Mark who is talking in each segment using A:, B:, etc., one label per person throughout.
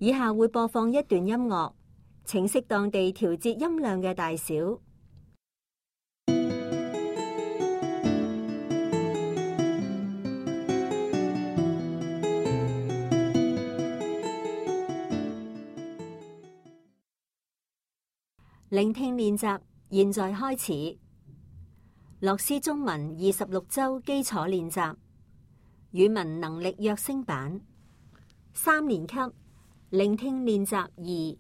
A: 以下會播放一段音樂，請適當地調節音量嘅大小。聆聽練習，現在開始。樂師中文26週基礎練習，語文能力躍升版，3年級，聆聽練習2。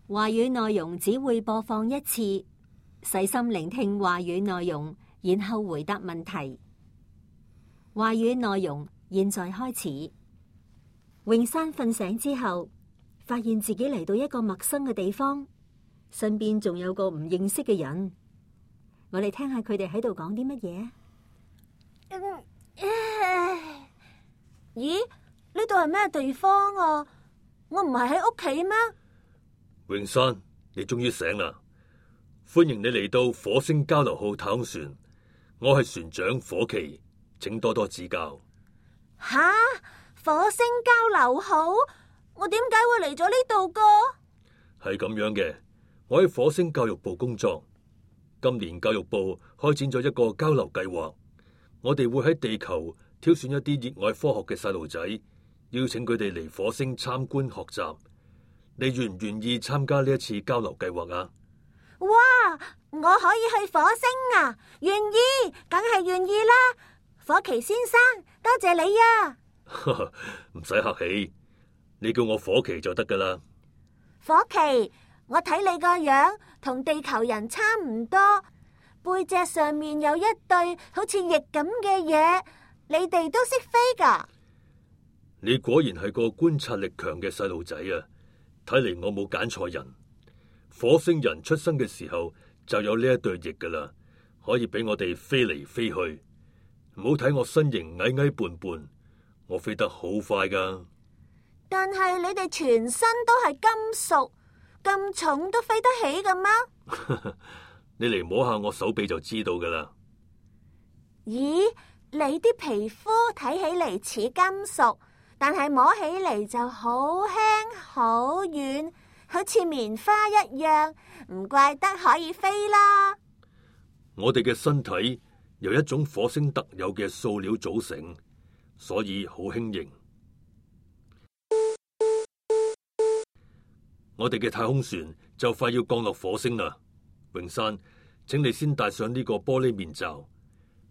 A: 話語內容只會播放一次，細心聆聽話語內容，然後回答問題。話語內容現在開始。詠珊瞓醒之後，發現自己嚟到一個陌生嘅地方。身邊仲有個唔認識嘅人，我哋聽下佢哋喺度講啲乜嘢。
B: 咦？呢度係咩地方啊？我唔係喺屋企咩？
C: 詠珊，你終於醒啦！歡迎你嚟到火星交流號太空船，我係船長火奇，請多多指教。
B: 吓？火星交流號？我點解會嚟咗呢度噶？
C: 係咁樣嘅。我喺火星教育部工作，今年教育部開展咗一個交流計劃，我哋會喺地球挑選一啲熱愛科學嘅細路仔，邀請佢哋嚟火星參觀學習。你願唔願意參加呢一次交流計劃啊？
B: 哇！我可以去火星啊！願意，梗係願意啦！火奇先生，多謝你啊！
C: 唔使客氣，你叫我火奇就得噶啦。
B: 火奇，我睇你個樣同地球人差唔多，背脊上面有一對好似翼咁嘅嘢，你哋都識飛噶？
C: 你果然係個觀察力強嘅細路仔啊！睇嚟我冇揀錯人。火星人出生嘅時候就有呢一對翼噶啦，可以俾我哋飛嚟飛去。唔好睇我身形矮矮胖胖，我飛得好快噶。
B: 但係你哋全身都係金屬，咁重都飛得起噶嗎？
C: 你嚟摸下我手臂就知道噶啦。
B: 咦，你啲皮膚睇起嚟似金屬，但係摸起嚟就好輕好軟，好似棉花一樣，唔怪得可以飛啦。
C: 我哋嘅身體由一種火星特有嘅塑料組成，所以好輕盈。我哋嘅太空船就快要降落火星啦，詠珊，請你先戴上呢個玻璃面罩。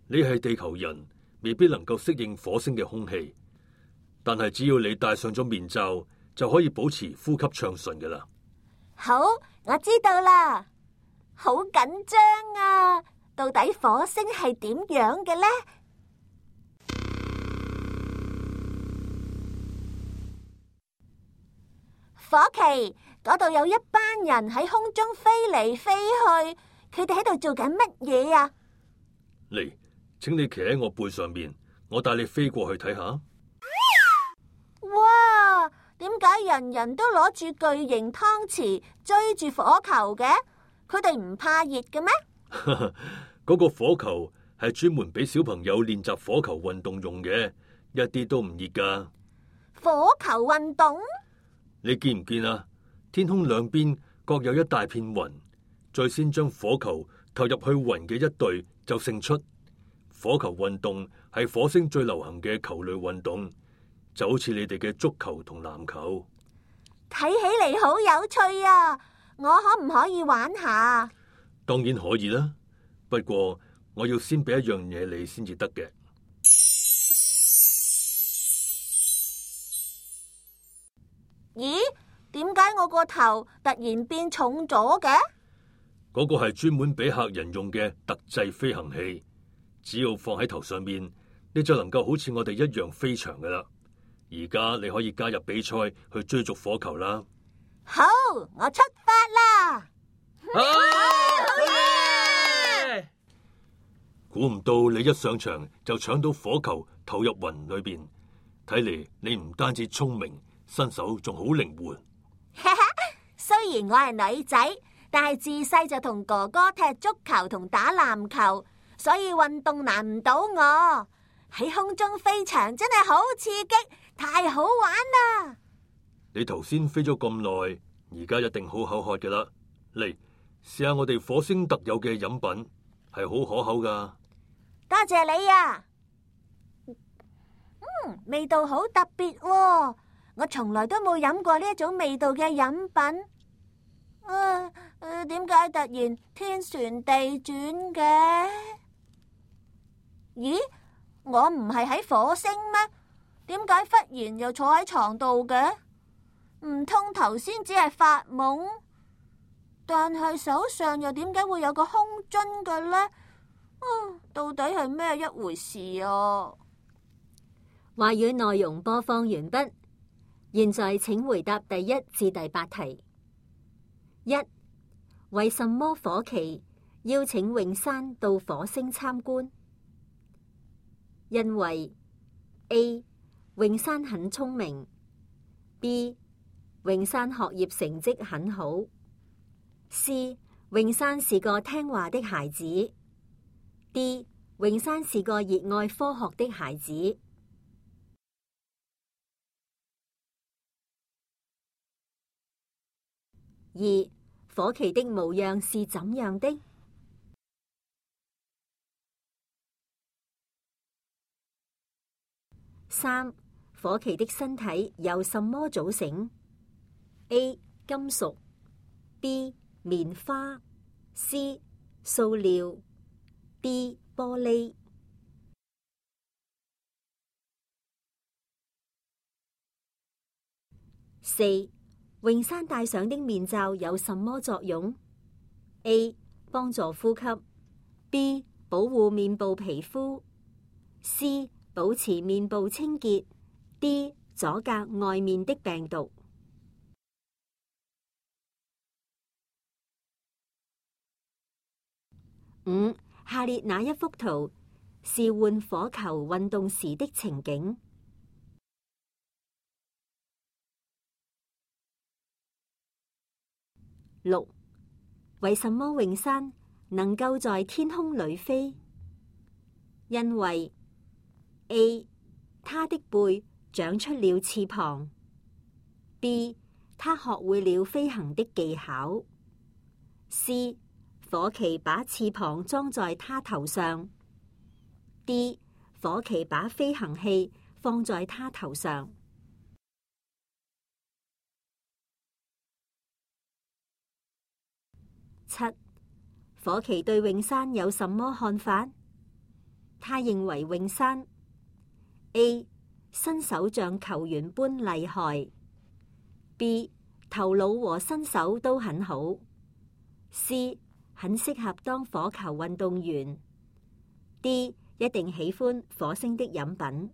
C: 你係地球人，未必能夠適應火星嘅空氣，但係只要你戴上咗面罩，就可以保持呼吸暢順㗎喇。
B: 好，我知道啦。好緊張啊！到底火星係點樣嘅呢？火奇，嗰度有一班人喺空中飛嚟飛去，佢哋喺度做緊乜嘢啊？
C: 嚟，請你騎喺我背上面，我帶你飛過去睇下。
B: 哇！點解人人都攞住巨型湯匙追住火球嘅？佢哋唔怕熱嘅咩？
C: 嗰個火球係專門俾小朋友練習火球運動用嘅，一啲都唔熱噶。
B: 火球運動？
C: 你見唔見啊？天空兩邊各有一大片雲，最先將火球投入去雲嘅一隊就勝出。火球運動係火星最流行嘅球類運動，就好似你哋嘅足球同籃球。
B: 睇起嚟好有趣啊！我可唔可以玩下？
C: 當然可以啦，不過我要先俾一樣嘢你先至得嘅。
B: 咦？點解我個頭突然變重咗嘅？
C: 嗰個係專門俾客人用嘅特製飛行器，只要放喺頭上面，你就能夠好似我哋一樣飛翔噶啦。而家你可以加入比賽去追逐火球啦。
B: 好，我出發啦！
C: 估唔到你一上場就搶到火球投入雲裏邊，睇嚟你唔單止聰明，身手仲好靈活。
B: 雖然我係女仔，但係自細就同哥哥踢足球同打籃球，所以運動難唔到我。喺空中飛翔真係好刺激，太好玩啦！
C: 你頭先飛咗咁耐，而家一定好口渴嘅啦。嚟，試下我哋火星特有嘅飲品，係好可口噶。
B: 多謝你啊！味道好特別喎，我從來都冇飲過呢一種味道嘅飲品。點解突然天旋地轉嘅？咦，我唔係喺火星咩？點解忽然又坐喺床度嘅？唔通頭先只係發夢？但係手上又點解會有個空樽嘅呢？到底係咩一回事啊？
A: 話語內容播放完畢，現在請回答第1至第8題。1. 為什麼火奇邀請詠珊到火星參觀？因為 A. 詠珊很聰明， B. 詠珊學業成績很好， C. 詠珊是個聽話的孩子， D. 詠珊是個熱愛科學的孩子。2. 火奇的模樣是怎樣的？ 3. 火奇的身體由什麼組成？ A. 金屬， B. 棉花， C. 塑料， D. 玻璃。4. 詠珊戴上的面罩有什麼作用？ A. 幫助呼吸， B. 保護面部皮膚， C. 保持面部清潔， D. 阻隔外面的病毒。5. 下列哪一幅圖是換火球運動時的情景？6. 為什麼詠珊能夠在天空裏飛？因為 A. 他的背長出了翅膀， B. 他學會了飛行的技巧， C. 火奇把翅膀裝在他頭上， D. 火奇把飛行器放在他頭上。7. 火奇對詠珊有什麼看法？他認為詠珊 A. 身手像球員般厲害， B. 頭腦和身手都很好， C. 很適合當火球運動員， D. 一定喜歡火星的飲品。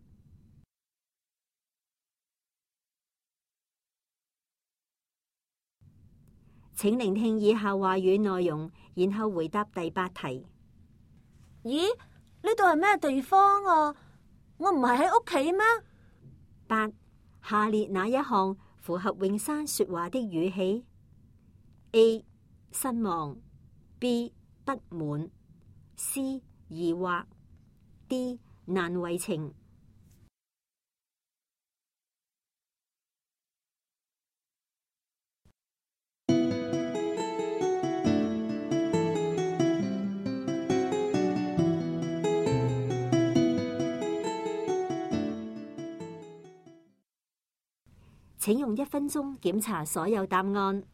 A: 請聆聽以下話語內容，然後回答第8題。
B: 咦，呢度係咩地方啊？我唔係喺屋企咩
A: ？8. 下列哪一項符合詠珊說話的語氣？ A. 失望， B. 不滿， C. 疑惑， D. 難為情。請用1分鐘檢查所有答案。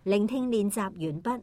A: 聆聽練習完畢。